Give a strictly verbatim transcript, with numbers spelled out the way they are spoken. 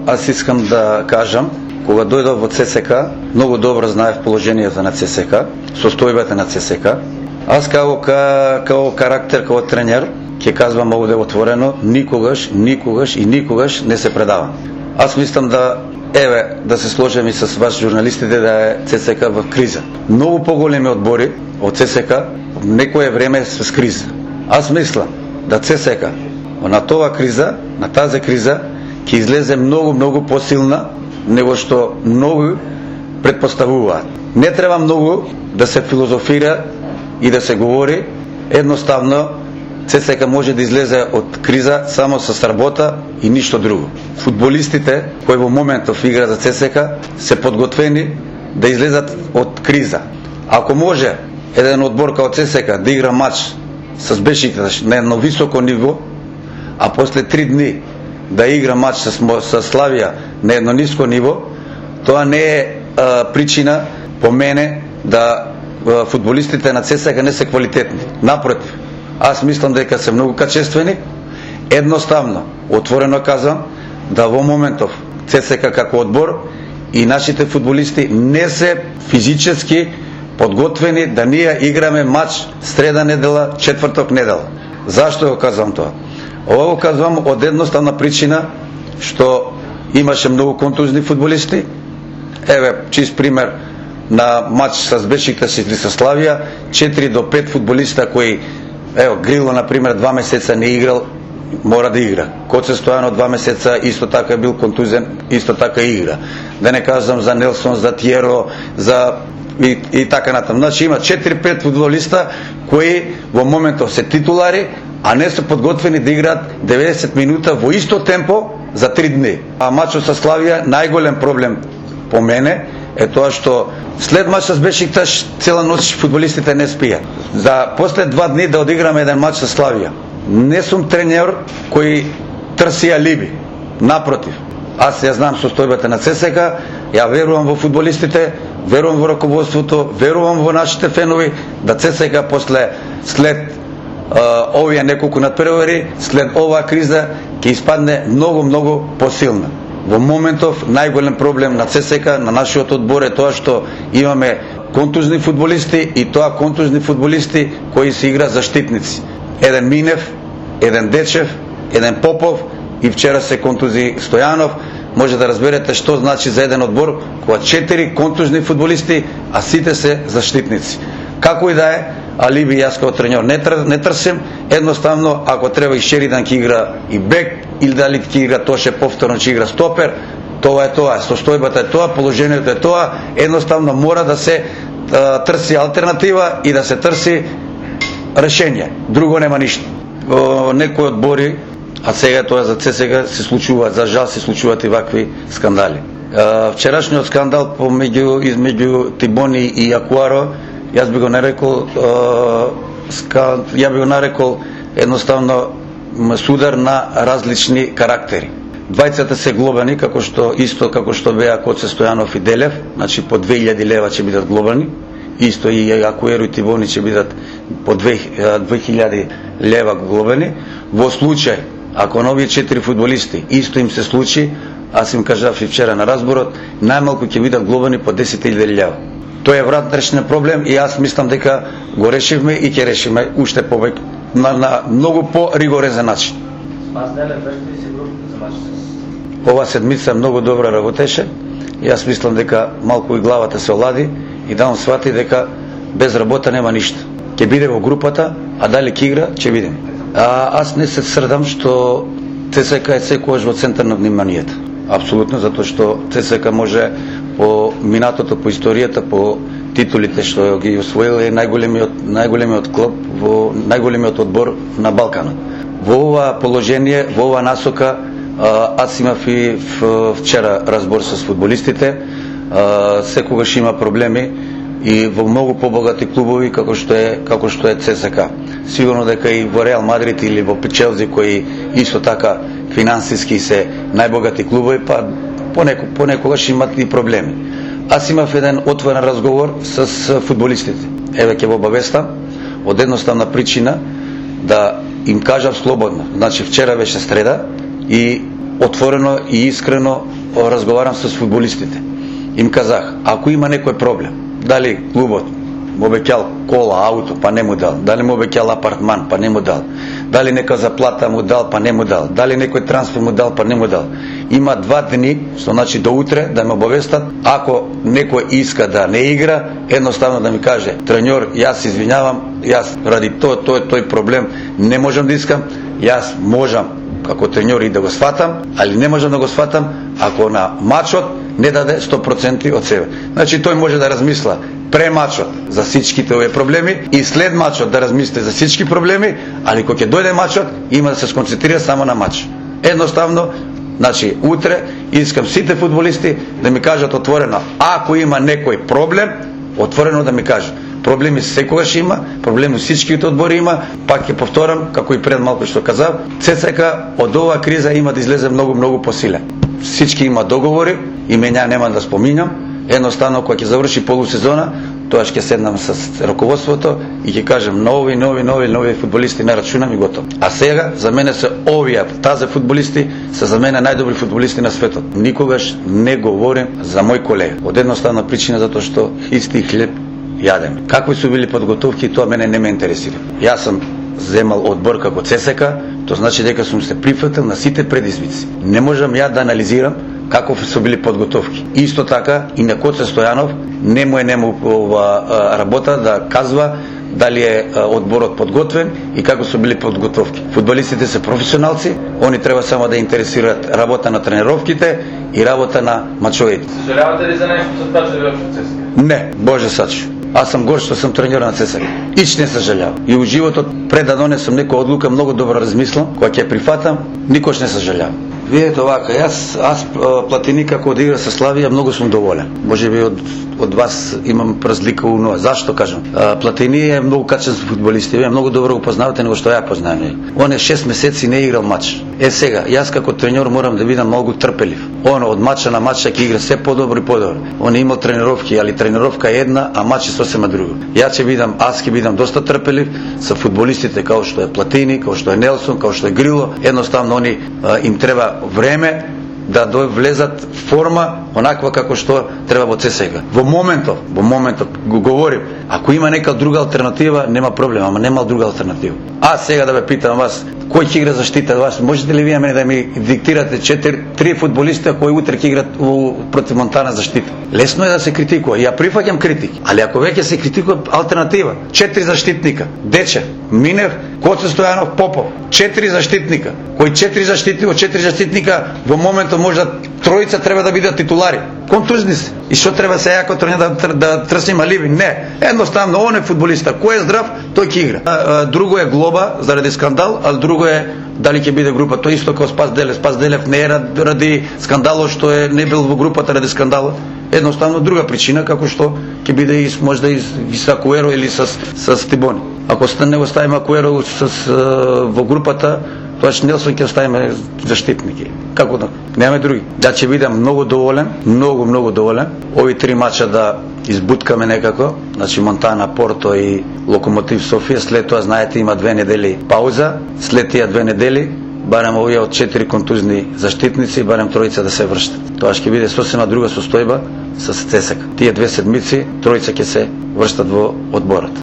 аз искам да кажам, кога дојдов во ЦСКА, многу добро знаев положението на ЦСКА, состојбата на ЦСКА. Аз као, као карактер, као тренер, ќе казвам овде отворено, никогаш, никогаш и никогаш не се предавам. Аз мислам да, еве, да се сложим и с вас журналистите, да е ЦСКА в криза. Многу поголеми одбори од ЦСКА некое време с криза. Аз мислам да ЦСКА на тоа криза, на тази криза, ќе излезе многу, многу посилна него што многу предпоставуваат. Не треба многу да се филозофира и да се говори, едноставно ЦСКА може да излезе од криза само со работа и ништо друго. Фудбалистите кои во моментов играат за ЦСКА се подготвени да излезат од криза. Ако може еден одбор као ЦСКА да игра матч с Бешикташ на едно високо ниво, а после три дни да игра матч с, с Славија на едно ниско ниво, тоа не е а, причина по мене да а, фудбалистите на ЦСКА не се квалитетни. Напротив, аз мислам дека се многу качествени. Едноставно, отворено казвам, да во моментов ЦСКА како одбор и нашите фудбалисти не се физически подготвени да ние играме матч среда недела, четврток недела. Зашто го казвам тоа? Ова го казвам од едноставна причина што имаше многу контузни фудбалисти. Еве, чист пример на матч с Бешикташ или со Славија, четири до пет фудбалиста кои, ево, Грило на пример два месеца не играл, мора да игра. Коце Стојано два месеца исто така бил контузен, исто така игра. Да не кажам за Нелсон, за Тиеро, за и, и така натаму. Значи има четири пет фудбалиста кои во моментов се титулари, а не се подготвени да играат деветдесет минута во исто темпо за три дни. А матчот со Славија, најголем проблем по мене е тоа што след матчот с Бешикташ цела ноќ фудбалистите не спијат. За после два дни да одиграме еден матч со Славија. Не сум тренер кој трси алиби. Напротив, аз ја знам состојбата на ЦСКА, ја верувам во фудбалистите, верувам во раководството, верувам во нашите фенови, да ЦСКА после след uh, овие неколку надпревари, след оваа криза ќе испадне многу многу посилна. Во моментов најголем проблем на ЦСКА, на нашиот одбор е тоа што имаме контузни фудбалисти и тоа контузни фудбалисти кои се игра заштитници. Еден Минев, еден Дечев, еден Попов и вчера се контузи Стојанов. Може да разберете што значи за еден одбор кога четири контузни фудбалисти, а сите се заштитници. Како и да е, алиби јас како тренер не, тр, не трсим, едноставно ако треба и Шеридан ќе игра и бек, или дали ќе игра Тоше повторно ќе игра стопер, тоа е тоа, состојбата е тоа, положението е тоа, едноставно мора да се а, трси алтернатива и да се трси решение. Друго нема ништо. О, некои одбори, а сега тоа за ЦСКА се случуваат, за жал се случуваат и вакви скандали. А, вчерашниот скандал помеѓу измеѓу Тибони и Јакуаро, јас би го нарекол а, ска, ја би го нарекол едноставно судар на различни карактери. Двајцата се глобани, како што исто како што беа Коце Стојанов и Делев, значи по две илјади лева ќе бидат глобани. Исто и Јакуеро и Тибони ќе бидат по две илјади лева глобани. Во случај ако нови четири фудбалисти исто им се случи, аз им кажав и вчера на разборот, најмалку ќе бидат глобани по десет илјади лева. Тоа е внатрешен проблем и аз мислам дека го решивме и ќе решиме уште повеќе на, на многу по-ригорезен начин. Ова седмица многу добро работеше и аз мислам дека малку и главата се олади и да он свати дека без работа нема ништо. Ќе биде во групата, а дали ќе игра, ќе видим. А, аз не се срдам што ЦСКА е секогаш во центар на вниманието. Апсолутно, затоа што ЦСКА може по минатото, по историјата, по титулите што ги освоил е најголемиот најголемиот клуб во најголемиот одбор на Балканот. Во ова положение, во ова насока, аз имав и вчера разбор со фудбалистите. Секогаш има проблеми и во многу побогати клубови како што е како што е ЦСКА. Сигурно дека и во Реал Мадрид или во Челси кои исто така финансиски се најбогати клубови, па понеко понекогаш имат и проблеми. Аз имав еден отворен разговор с фудбалистите. Еве ќе го обавестам од едноставна причина да им кажав слободно. Значи вчера беше среда и отворено и искрено разговарам с фудбалистите. Им казах, ако има некој проблем, дали клубот му обеќал кола, ауто, па не му дал, дали му обеќал апартман, па не му дал, дали нека заплата му дал, па не му дал, дали некој трансфер му дал, па не му дал. Има два дни, што значи до утре, да ме обавестат, ако некој иска да не игра, едноставно да ми каже, треньор, јас извинявам, јас ради тој, тој, тој проблем не можам да искам, јас можам како треньор и да го сватам, али не можам да го сватам ако на мачот не даде сто проценти од себе. Значи тој може да размисла пре мачот за всичките овие проблеми и след мачот да размисли за всички проблеми, али кога ќе дојде мачот има да се сконцентрира само на мач. Едноставно, значи утре искам сите фудбалисти да ми кажат отворено, ако има некој проблем, отворено да ми кажат. Проблеми секогаш има, проблеми всичките одбори има, пак ќе повторам, како и пред малку што казав, ЦСКА од оваа криза има да излезе многу, многу посилен. Всички има договори, имења нема да споминам, едноставно кога ќе заврши полусезона, тоа ќе седнам с раководството и ќе кажем нови, нови, нови, нови фудбалисти не рачунам и готово. А сега за мене се овие, тази фудбалисти се за мене најдобри фудбалисти на светот. Никогаш не говорим за мој колега. Од едноставна причина затоа што исти хлеб јадеме. Какви су били подготовки, тоа мене не ме интересира. Јас сум земал одбор како ЦСКА, тоа значи дека сум се прифатил на сите предизвици. Не можам ја да анализирам како су били подготовки. Исто така и на Коце Стојанов не му е нему ова работа да казва дали е одборот подготвен и како су били подготовки. Фудбалистите се професионалци, они треба само да интересираат работа на тренировките и работа на мачовите. Сожалявате ли за нешто со тоа што бил во ЦСКА? Не, Боже сачу. Аз сум гор што сум тренер на ЦСКА. Ич не сожалявам. И во животот пред да донесам некоја одлука многу добро размислам, кога ќе прифатам, никош не сожалявам. Видете овака, јас аз Платини како да игра со Славија многу сум доволен. Можеби од од вас имам разлика у ноа. Зашто кажам? А, Платини е многу качен фудбалист, вие многу добро го познавате него што ја познавам. Он е шест месеци не играл мач. Е сега, јас како тренер морам да бидам многу трпелив. Он од мача на мач ќе игра се подобро и подобро. Он има тренировки, али тренировка е една, а мач е сосема друго. Јас ќе бидам, аз ќе бидам доста трпелив со фудбалистите како што е Платини, како што е Нелсон, како што е Грило. Едноставно они а, им треба време да влезат форма онаква како што треба во ЦСКА. Во моментов, во моментов го говорим, ако има нека друга алтернатива, нема проблем, ама нема друга алтернатива. А сега да ве питам вас, кој ќе игра заштита вас? Можете ли вие мене да ми диктирате четири три фудбалиста кои утре ќе играат против Монтана заштита? Лесно е да се критикува. Ја прифаќам критики, али ако веќе се критикува алтернатива, четири заштитника, Дече, Минев, Коце Стојанов, Попов, четири заштитника, кои четири заштитника, четири заштитника во моментот може да тројца треба да бидат титулари. Контузни се. И што треба се јако тренер да, да трсим аливи? Не. Едноставно, он е фудбалиста. Кој е здрав, тој ќе игра. А, а, друго е глоба заради скандал, а друго е дали ќе биде група. Тоа исто како Спас Делев. Спас Делев не е ради скандалот што е не бил во групата ради скандалот. Едноставно друга причина како што ќе биде и можда и, и со Акуеро или со со Тибони. Ако не го ставиме Акуеро со во групата, тоа што Нелсон ќе оставиме заштитники. Како да? Немаме други. Да ќе бидам многу доволен, многу многу доволен. Ови три мача да избуткаме некако, значи Монтана, Порто и Локомотив Софија, след тоа знаете има две недели пауза, след тие две недели барем овие од четири контузни заштитници, барем тројца да се врштат. Тоа ќе биде сосема друга состојба со ЦСКА. Тие две седмици тројца ќе се врштат во одборот.